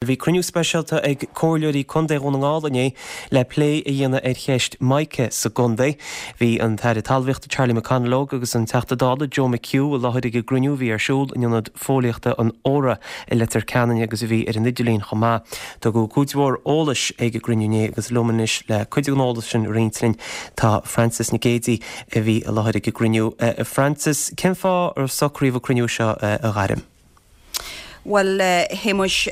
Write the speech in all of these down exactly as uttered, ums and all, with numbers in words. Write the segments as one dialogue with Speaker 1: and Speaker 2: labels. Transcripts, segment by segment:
Speaker 1: Bhí cruinniú speisialta ag Comhairleoirí Contae Dhún na nGall inné le plé a dhéanamh ar cheist Mica sa gcontae. Bhí an tAire Talmhaíochta Charlie McConalogue agus an Teachta Dála Joe McHugh i láthair ag an gcruinniú a bhí ar siúl in Ionad Fóillíochta an Óra i Leitir Ceanainn agus a bhí ar an idirlíon chomh maith. Tugadh cuid mhór eolais ag an gcruinniú inné agus liom anois le cuid den eolas sin a roinnt linn tá Frances Nic Géadaigh a bhí i láthair ag an gcruinniú. Frances, cén fáth ar socraíodh an cruinniú seo a ghairm?
Speaker 2: Bhuel a Shéamuis,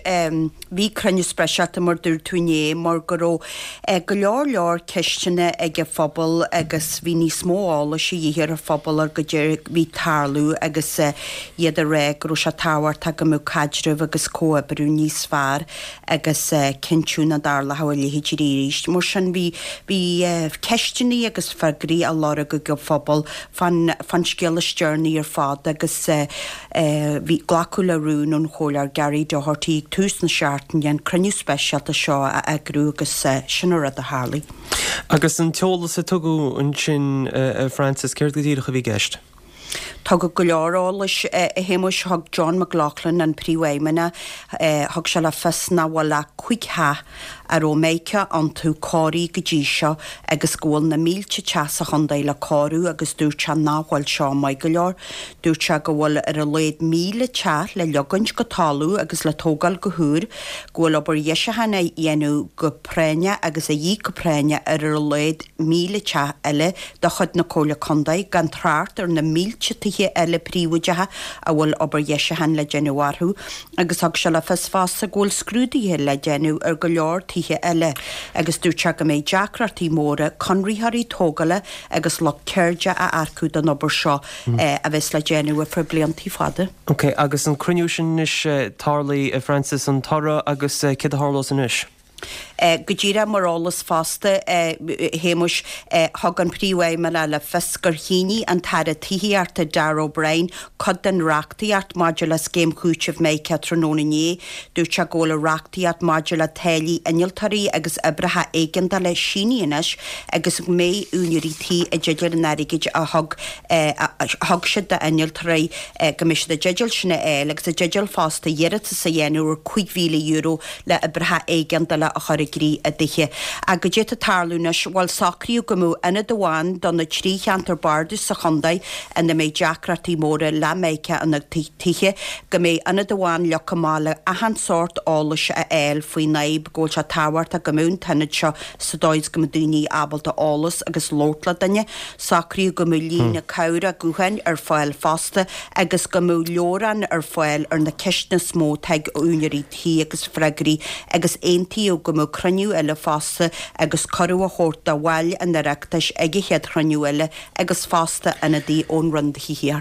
Speaker 2: bhí cruinniú speisialta mar dúirt tú inné mar go raibh go leor leor ceisteanna ag an phobal agus bhí níos mó eolais a dhíth ar an phobal ar goidé a bhí ag tarlú agus iad ag rá go raibh sé tábhachtach go mbeadh caidreamh agus comhoibriú níos fearr agus cinntiú nach dtarlódh a leithéid arís. Mar sin bhí bhí ceisteanna agus freagraí á lorg ag an phobal fán fán scéal is deireanaí ar fad agus Bhí glacadh le rún ón Chomhairleoir Gary Doherty ag tús na seachtaine an cruinniú speisialta seo a eagrú agus sin an rud a tharlaigh.
Speaker 1: Agus an t-eolas a tugadh ansin, a Frances, céard go díreach a bhí i gceist?
Speaker 2: Tugadh go leor eolais, a Shéamuis. Thug John McLaughlin, an Príomhfheidhmeannach, thug sé le fios nach bhfuil ach cúig theach a raibh Mica iontu cóirithe go dtí seo agus go bhfuil na mílte teach sa chontae le cóiriú agus dúirt sé nach bhfuil seo maith go leor. Dúirt sé go bhfuil ar a laghad míle teach le leagaint go talamh agus le tógáil go húr, go bhfuil obair dheisiúcháin á dhéanamh go práinneach agus a dhíth go práinneach ar ar a laghad míle teach eile de chuid na Comhairle Contae, gan trácht ar na mílte tithe eile príobháideacha a bhfuil obair dheisiúcháin le déanamh orthu agus thug sé le fios fosta go bhfuil scrúduithe le déanamh ar go leor tithe eile agus dúirt sé go mbeidh deacrachtaí móra conraitheoirí tógála agus lucht ceirde a earcú don obair seo a bheas le déanamh ar feadh blianta fada.
Speaker 1: Ok, agus an cruinniú sin anois, tarlaithe, a Frances, an toradh agus céard a tharlós anois?
Speaker 2: Go díreach mar eolas fosta, a Shéamuis, thug an Príomhfheidhmeannach le fios gur shínigh an tAire Tithíochta Darragh O'Brien cuid den reachtaíocht maidir le Scéim Chúitimh Mica tráthnóna inné. Dúirt sé go bhfuil an reachtaíocht maidir le táillí innealtóirí agus oibreacha éigeandála sínithe anois agus go mbeidh úinéirí tí i dteideal an airgid a thug a thug siad d'innealtóirí, go mbeidh siad i dteideal sin a fháil agus i dteideal fosta iarratas a dhéanamh ar cúig mhíle euro le oibreacha éigeandála a chur i gcrích i dtithe. Ach goidé atá ag tarlú anois, bhuel socraíodh go mbeadh ionad amháin do na trí cheantar bardais sa chontae ina mbeidh deacrachtaí móra le Mica ina dtithe, go mbeidh ionad amháin leagtha amach le achan sórt eolais a fháil faoin fhadhb, go bhfuil sé tábhachtach go mbeadh an t-ionad seo sa dóigh is go mbeadh daoine ábalta eolas agus labhairt le duine. Socraíodh go mbeadh líne cabhrach gutháin ar fáil fosta agus go mbeadh leabhrán ar fáil ar na ceisteanna is mó atá ag úinéirí tí agus freagraí agus aontaíodh go mbeadh cruinniú eile fosta agus cuireadh á thabhairt do bhaill an Oireachtais ag an chéad chruinniú eile agus fosta ionadaí ón Roinn Tithíochta.